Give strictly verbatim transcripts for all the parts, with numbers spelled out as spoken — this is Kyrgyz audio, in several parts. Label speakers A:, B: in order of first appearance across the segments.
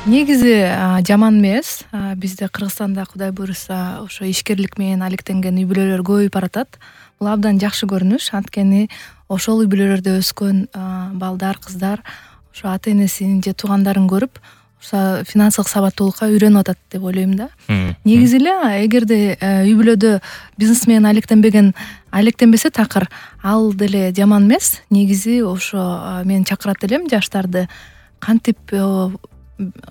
A: Негизи жаман эмес. Бизде Кыргызстанда Кудай буйруса ошо ишкерлик менен алектенген үй бүлөлөр көбөйүп баратат. Бул абдан жакшы көрүнүш. Анткени ошол үй бүлөлөрдө өскөн балдар, кыздар ошо ата энесин же туугандарын көрүп ошо финансылык сабаттуулукка үйрөнүп атат деп ойлойм да. Негизи эле эгерде үй бүлөдө бизнес менен алектенбеген алектенбесе такыр, ал деле жаман эмес. Негизи ошо мен чакырат элем жаштарды кантип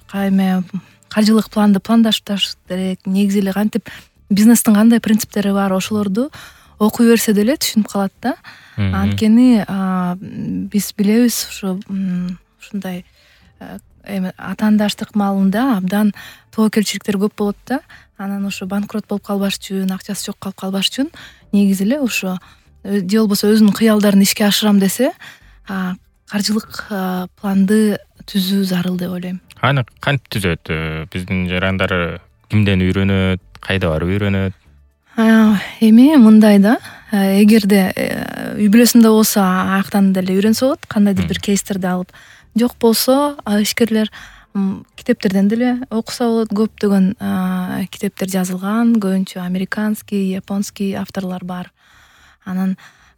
A: кайме каржылык планды пландашташ керек, негизи эле кантип бизнестин кандай принциптери бар, ошолорду окуй берсе деле түшүнүп калат да. Анткени биз билебиз ушу ушундай эми атаандаштык маалында абдан тобокелчиликтер көп болот да. Анан ошо банкрот болуп калбаш үчүн, акчасы жок калып калбаш үчүн негизи эле ошо же болбосо өзүнүн кыялдарын ишке ашырам десе, каржылык планды түзүү зарыл деп ойлойм.
B: Аны кантип түзөт? Биздин жарандары кимден үйрөнөт, кайда барып үйрөнөт?
A: Эми мындай да, эгерде үй бүлөсүндө болсо аяктан деле үйрөнсө болот, кандайдыр бир кейстерди алып. Жок болсо ишкерлер китептерден деле окуса болот. Көптөгөн китептер жазылган, көбүнчө американский, японский авторлор бар. Анан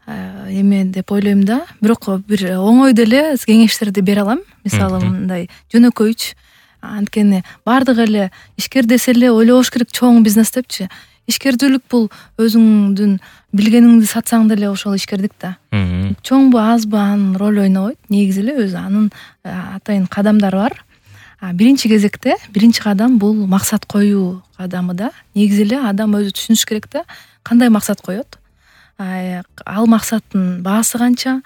A: эме деп ойлойм да, бирок бир оңой деле кеңештерди бере алам. Мисалы мындай жөнөкөйч. Анткени бардыгы эле ишкер десе эле ойлобош керек чоң бизнес депчи. Ишкердүүлүк бул өзүңдүн билгениңди сатсаң деле ошол ишкердик да. Чоңбу азбы анын роль ойнобойт. Негизи эле өзү анын атайын кадамдары бар. Биринчи кезекте биринчи кадам бул максат коюу кадамы да. Негизи эле адам өзү түшүнүш керек да, кандай максат коет. Ал максаттын баасы канча,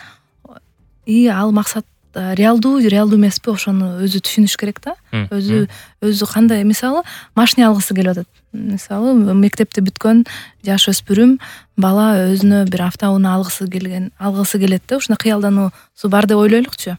A: и ал максат реалдуу, реалдуу эмеспи, ошону өзү түшүнүш керек да. Өзү өзү кандай, мисалы, машина алгысы келип атат. Мисалы, мектепти бүткөн жаш өспүрүм бала өзүнө бир автоунаа алгысы келген, алгысы келет да. Ушуна кыялдануусу бар деп ойлойлукчу.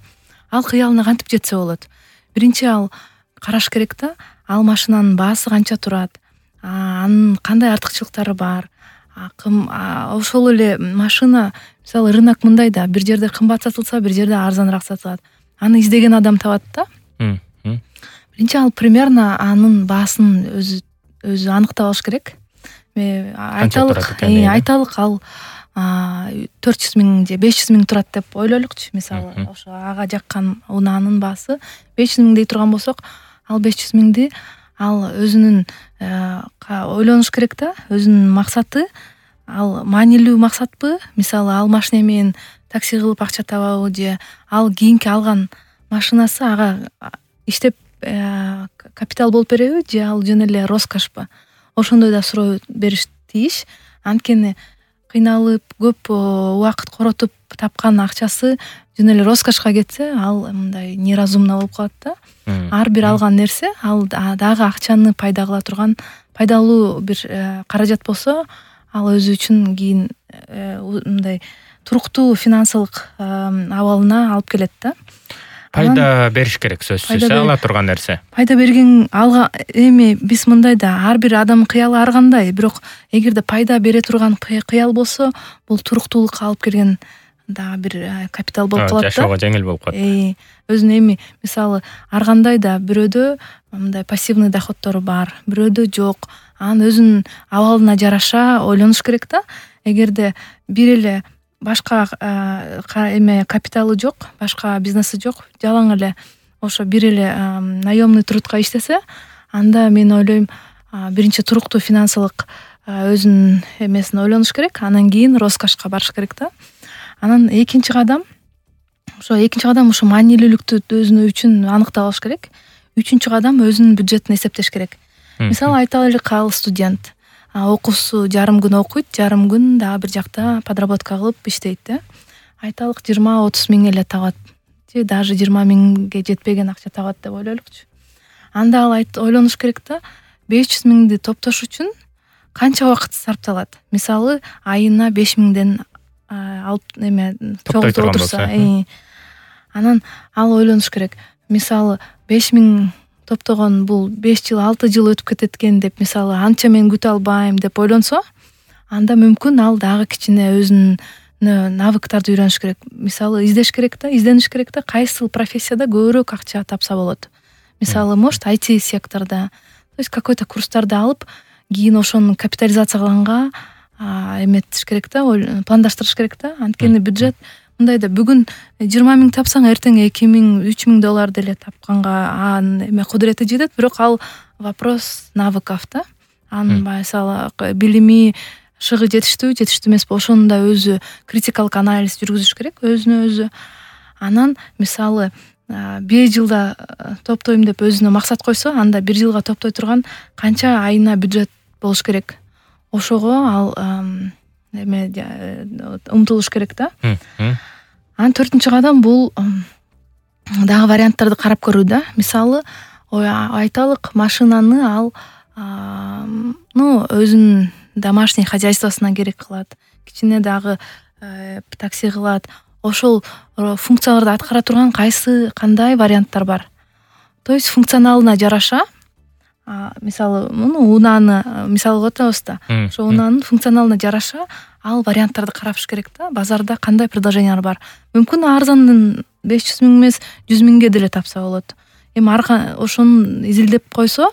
A: Ал кыялына кантип жетсе болот? Биринчи ал караш керек да, ал машинанын баасы канча турат, анын кандай артыкчылыктары бар. Ошол эле машина, мисалы, рынок мындай да, бир жерде кымбат сатылса, бир жерде арзаныраак сатылат. Аны издеген адам табат да. Биринчи ал примерно анын баасын өзү өзү аныктап алыш керек. Айталык, айталык ал төрт жүз миң же беш жүз миң турат деп ойлойлукчу. Мисалы, ошо ага жаккан унаанын баасы беш жүз миң дей турган болсок, ал беш жүз миңди ал өзүнүн ойлонуш керек да, өзүнүн максаты ал маанилүү максатпы? Мисалы, ал машина менен такси кылып акча табабы, же ал кийинки алган машинасы ага иштеп капитал болуп береби, же ал жөн эле роскошпу? Ошондой да суроо бериш тийиш. Анткени кыйналып, көп убакыт коротуп тапкан акчасы жөн эле роскошко кетсе, ал мындай неразумно болуп калат да. Ар бир алган нерсе ал дагы акчаны пайда кыла турган пайдалуу бир каражат болсо, ал өзү үчүн кийин мындай туруктуу финансылык абалына алып келет да.
B: Пайда бериш керек, сөзсүз, ала турган нерсе.
A: Пайда берген алга эми биз мындай да, ар бир адамдын кыялы ар кандай, бирок эгерде пайда бере турган кыял болсо, бул туруктуулукка алып келген да бир капитал болуп калат да.
B: Жашоого жеңил болуп калат.
A: Өзүнүн эми, мисалы, ар кандай да бирөөдө мындай пассивный доходтору бар, бирөөдө жок. Анын өзүнүн абалына жараша ойлонуш керек да. Эгерде бир эле башка эме капиталы жок, башка бизнеси жок, жалаң эле ошо бир эле наемный трудка иштесе, анда мен ойлойм, биринчи туруктуу финансылык өзүнүн эмесин ойлонуш керек, анан кийин роскошко барыш керек да. Анан экинчи кадам, ошо экинчи кадам ошо маанилүүлүктү өзүнө үчүн аныктап алыш керек. Үчүнчү кадам өзүнүн бюджетин эсептеш керек. Мисалы, айтайлык, ал студент, окуусу жарым күн окуйт, жарым күн дагы бир жакта подработка кылып иштейт да. Айталык жыйырма отуз миң эле табат, же даже жыйырма миңге жетпеген акча табат деп ойлойлукчу. Анда ал ойлонуш керек да, беш жүз миңди топтош үчүн канча убакыт сарпталат? Мисалы, айына беш миңден алып эме чогултуп отурса, анан ал ойлонуш керек. Мисалы, беш миң топтогон бул беш жыл, алты жыл өтүп кетет экен деп, мисалы, анча мен күтө албайм деп ойлонсо, анда мүмкүн ал дагы кичине өзүнүн навыктарды үйрөнүш керек. Мисалы, издеш керек да, издениш керек да, кайсыл профессияда көбүрөөк акча тапса болот. мисалы может ай ти секторда, то есть какой-то курстарды алып кийин ошону капитализациялаганга эметиш керек да, пландаштырыш керек да. Анткени бюджет мындай да, бүгүн жыйырма миң тапсаң эртең эки миң үч миң доллар деле тапканга анын эме кудурети жетет, бирок ал вопрос навыков да. Анын мисалы билими шыгы жетиштүүбү жетиштүү эмеспи, ошону да өзү критикалык анализ жүргүзүш керек өзүнө өзү. Анан мисалы беш жылда топтойм деп өзүнө максат койсо, анда бир жылга топтой турган канча айына бюджет болуш керек, ошого ал эме умтулуш керек да. Анан төртүнчү кадам бул дагы варианттарды карап көрүү да. Мисалы айталык машинаны ал ну өзүнүн домашний хозяйствосуна керек кылат, кичине дагы такси кылат. Ошол функцияларды аткара турган кайсы кандай варианттар бар. То есть функционалына жараша, мисалы муну унааны мисал кылып атабыз да. Ошо унаанын функционалына жараша ал варианттарды караш керек да. Базарда кандай предложениялар бар. Мүмкүн арзандын беш жүз миң эмес жүз миңге деле тапса болот. Эми ошону изилдеп койсо,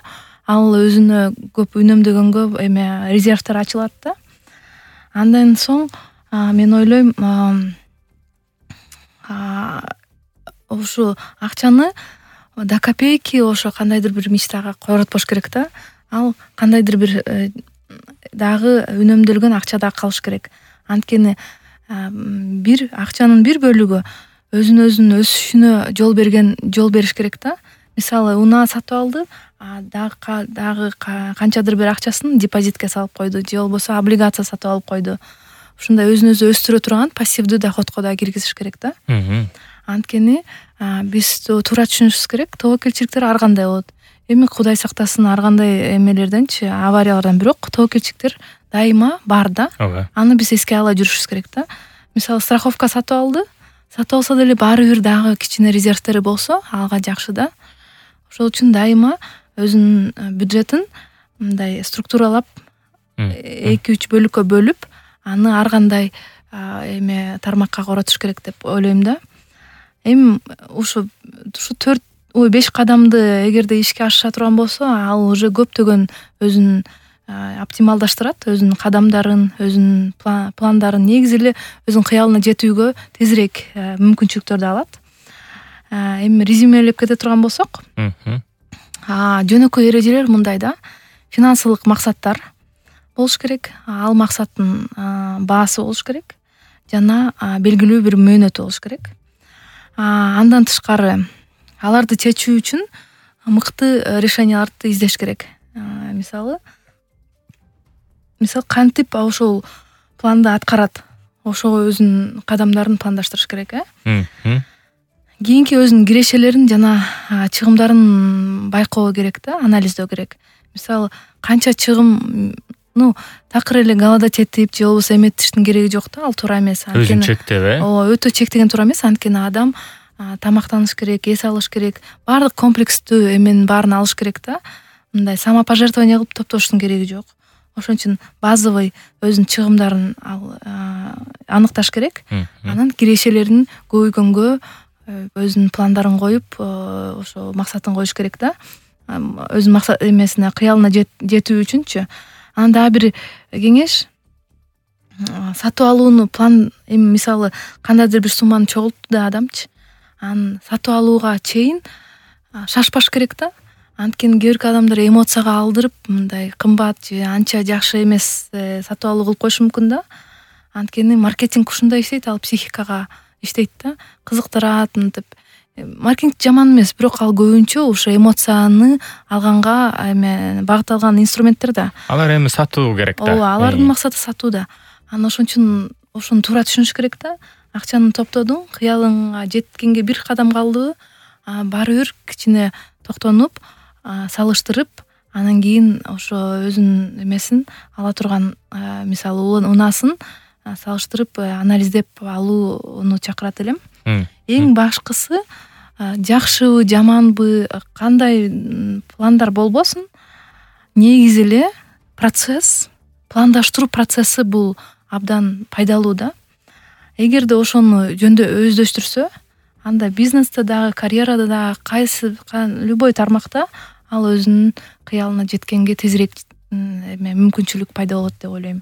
A: ал өзүнө көп үнөмдөгөнгө эме резервтер ачылат да. Андан соң мен ойлойм ошо акчаны до копейки ошо кандайдыр бир мечтага коротпош керек да. Ал кандайдыр бир дагы үнөмдөлгөн акча да калыш керек. Анткени бир акчанын бир бөлүгү өзүн өзүнүн өсүшүнө жол берген жол бериш керек да. Мисалы унаа сатып алды, дагы дагы канчадыр бир акчасын депозитке салып койду, же болбосо облигация сатып алып койду. Ушундай өзүн өзү өстүрө турган пассивдүү доходко да киргизиш керек да. Анткени биз туура түшүнүшүбүз керек, тобокелчиликтер ар кандай болот. Эми Кудай сактасын ар кандай эмелерденчи, авариялардан, бирок тобокелчиликтер дайыма бар да. Аны биз эске ала жүрүшүбүз керек да. Мисалы страховка сатып алды, сатып алса деле баары бир дагы кичине резервтери болсо алга жакшы да. Ошол үчүн дайыма өзүнүн бюджетин мындай структуралап эки үч бөлүккө бөлүп, аны ар кандай эме тармакка коротуш керек деп ойлойм да. Эми ушу ушу төрт ой беш кадамды эгерде ишке ашыша турган болсо, ал уже көптөгөн өзүн оптималдаштырат, өзүнүн кадамдарын, өзүнүн пландарын, негизи эле өзүнүн кыялына жетүүгө тезирээк мүмкүнчүлүктөрдү алат. Эми резюмелеп кете турган болсок, жөнөкөй эрежелер мындай да. Финансылык максаттар болуш керек, ал максаттын баасы болуш керек жана белгилүү бир мөөнөтү болуш керек. Андан тышкары аларды чечүү үчүн мыкты решенияларды издеш керек. Мисалы мисалы кантип ошол планды аткарат, ошого өзүнүн кадамдарын пландаштырыш керек, э? Кийинки өзүнүн кирешелерин жана чыгымдарын байкоо керек да, анализдөө керек. Мисалы канча чыгым, ну такыр эле галада тетип же болбосо эметиштин кереги жок да, ал туура эмес.
B: Өзүн чектеп, э?
A: Ооба, өтө чектеген туура эмес. Анткени адам тамактаныш керек, эс алыш керек, баардык комплекстүү эменин баарын алыш керек да. Мындай самопожертвование кылып топтоштун кереги жок. Ошон үчүн базовый өзүнүн чыгымдарын аныкташ керек. Анан кирешелерин көбөйгөнгө өзүнүн пландарын коюп, ошо максатын коюш керек да. Өзүнүн максат эмесине, кыялына жетүү үчүнчү. Анан дагы бир кеңеш, сатып алууну план, эми мисалы кандайдыр бир сумманы чогултту да адамчы, анан сатып алууга чейин шашпаш керек да. Анткени кээ бир адамдар эмоцияга алдырып, мындай кымбат же анча жакшы эмес сатып алуу кылып коюшу мүмкүн да. Анткени маркетинг ушундай иштейт, ал психикага иштейт да, кызыктырат мынтип. Маркетинг жаман эмес, бирок ал көбүнчө ошо эмоцияны алганга эме багытталган инструменттер да.
B: Алар эми сатуу керек да.
A: Ооба, алардын максаты сатуу да. Анан ошон үчүн ошону туура түшүнүш керек да. Акчаны топтодуң, кыялыңа жеткенге бир кадам калды, баары бир кичине токтонуп, салыштырып, анан кийин ошо өзүнүн эмесин ала турган, мисалы унаасын салыштырып, анализдеп алууну чакырат элем. Эң башкысы, жакшыбы, жаманбы, кандай пландар болбосун, негизи эле процесс, пландаштыруу процесси бул абдан пайдалуу да. Эгерде ошону жөндө өздөштүрсө, анда бизнесте дагы, карьерада дагы кайсы любой тармакта ал өзүнүн кыялына жеткенге тезирээк эме мүмкүнчүлүк пайда болот деп ойлойм.